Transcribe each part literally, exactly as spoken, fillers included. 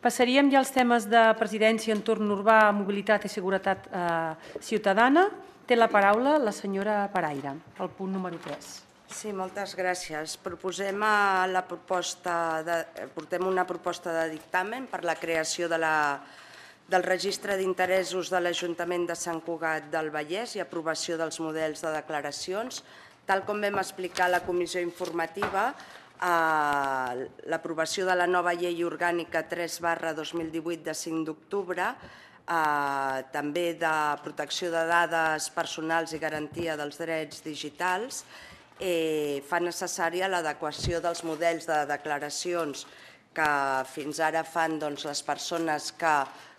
Passaríem ja als temes de presidència, entorn urbà, mobilitat i seguretat ciutadana. Té la paraula la senyora Paraire, el punt número tres. Sí, moltes gràcies. Proposem a la proposta de, portem una proposta de dictamen per la creació de la, del registre d'interessos de l'Ajuntament de Sant Cugat del Vallès i aprovació dels models de declaracions. Tal com vam explicar a la comissió informativa, eh, l'aprovació de la nova llei orgànica tres barra dos mil divuit de cinc d'octubre, eh, també de protecció de dades personals i garantia dels drets digitals, Eh, fa necessària l'adequació dels models de declaracions que fins ara fan doncs, les persones que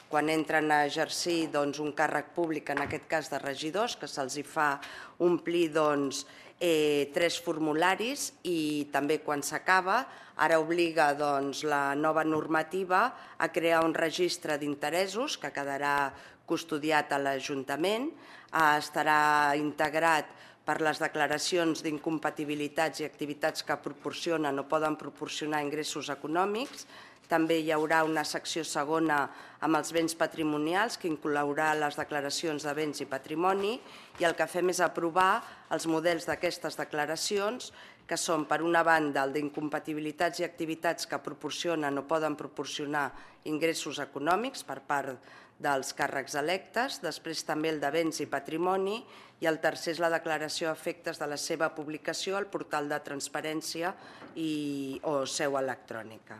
quan entren a exercir doncs, un càrrec públic, en aquest cas de regidors, que se'ls fa omplir doncs, eh, tres formularis i també quan s'acaba, ara obliga doncs, la nova normativa a crear un registre d'interessos que quedarà custodiat a l'Ajuntament, eh, estarà integrat per les declaracions d'incompatibilitats i activitats que proporcionen o poden proporcionar ingressos econòmics. També hi haurà una secció segona amb els béns patrimonials que inclourà les declaracions de béns i patrimoni i el que fem és aprovar els models d'aquestes declaracions que són, per una banda, el d'incompatibilitats i activitats que proporcionen o poden proporcionar ingressos econòmics per part dels càrrecs electes, després també el de béns i patrimoni i el tercer és la declaració a efectes de la seva publicació al portal de transparència i, o seu electrònica.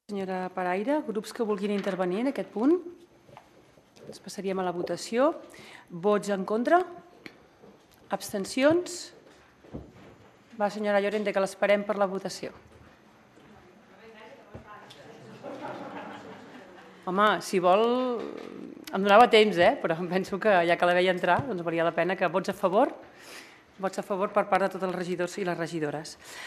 Senyora Paraire, grups que vulguin intervenir en aquest punt? Ens passaríem a la votació. Vots en contra? Abstencions? Va, senyora Llorente, que l'esperem per la votació. Home, si vol, em donava temps, eh? Però em penso que ja que la veia entrar, doncs valia la pena que vots a favor, vots a favor per part de tots els regidors i les regidores.